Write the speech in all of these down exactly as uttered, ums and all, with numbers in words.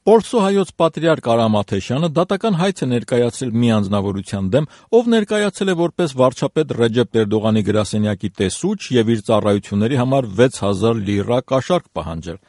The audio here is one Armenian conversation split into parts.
Պորսո հայոց պատրիարք Արամ Աթեշյանը դատական հայց է ներկայացրել մի անձնավորության դեմ, ով ներկայացել է որպես վարչապետ Ռեջեփ Էրդողանի գրասենյակի տեսուչ եւ իր ծառայությունների համար վեց հազար լիրա կաշառք պահանջել։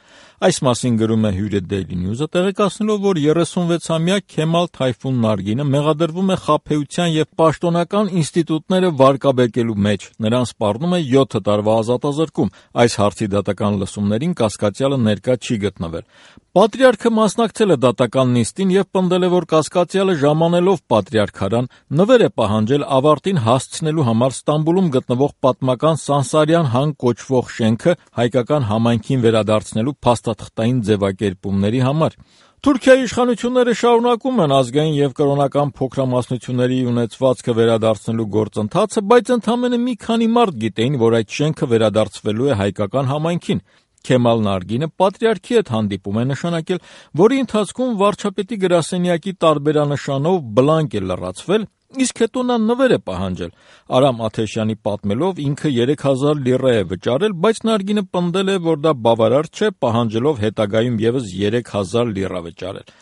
Այս մասին գրում է Hürriyet Daily News-ը, տեղեկացնելով, որ երեսունվեցամյա Քեմալ Թայֆուն Նարգինը մեղադրվում է խաբեության եւ պաշտոնական ինստիտուտները վարկաբեկելու մեջ։ Նրան սպառնում է յոթ տարվա ազատազրկում։ Այս հարցի դատական լսումներին կասկածյալը ներկա չի գտնվել։ Պատրիարքը մասնակցել է դատական նիստին եւ պնդել է, որ կասկածյալը ժամանելով պատրիարքարան նվեր է պահանջել ավարտին հասցնելու համար Ստամբուլում գտնվող պատմական Սանսարյան հան կոչվող շենքը հայկական համայնքին վերադարձնելու փաստաթղթային ձևակերպումների համար։ Թուրքիայի իշխանությունները շարունակում են ազգային եւ կրոնական փոքրամասնությունների ունեցվածքը վերադարձնելու գործընթացը, բայց ընդամենը մի քանի մարդ գիտեին, որ այդ շենքը վերադարձվելու է հայկական համայնքին։ Քեմալ Նարգինը պատրիարքի հետ հանդիպում է նշանակել, որի ընթացքում վարչապետի գրասենյակի տարբերանշանով բլանկ է լրացվել, իսկ հետո նա նվեր է պահանջել։ Արամ Աթեշյանի պատմելով ինքը երեք հազար լիրա է վճարել, բայց Նարգինը պնդել է, որ դա բավարար չէ, պահանջելով հետագայում եւս երեք հազար լիրա վճարել։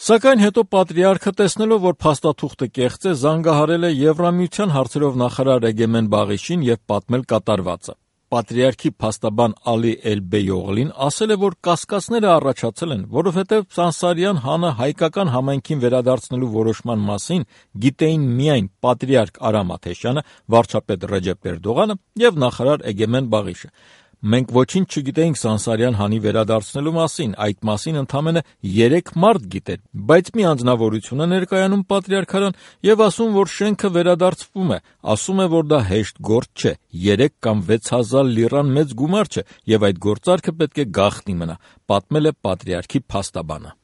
Սակայն հետո պատրիարքը, տեսնելով, որ փաստաթուղթը կեղծ է, զանգահարել է Եվրամիության հարցերով նախարար Էգեմեն Բաղիշին եւ պատմել կատարվածը։ Պատրիարքի փաստաբան Ալի Էլբեյօղլին ասել է, որ կասկածները առաջացել են, որովհետև Սանսարյան հանը հայկական համայնքին վերադարձնելու որոշման մասին գիտեին միայն պատրիարք Արամ Աթեշյանը, վարչապետ Ռեջեփ Էրդողանը եւ նախարար Էգեմեն Բաղիշը։ Մենք ոչինչ չգիտեինք Սանսարյան հանի վերադարձնելու մասին, այդ մասին ընդամենը երեք մարդ գիտեր, բայց մի անձնավորություն է ներկայանում պատրիարքարան եւ ասում, որ շենքը վերադարձվում է, ասում է, որ դա հեշտ գործ չէ, երեք կամ վեց հազար լիրան մեծ գումար չէ եւ այդ գործարքը պետք է գաղտնի մնա, պատմել է պատրիարքի փաստաբանը։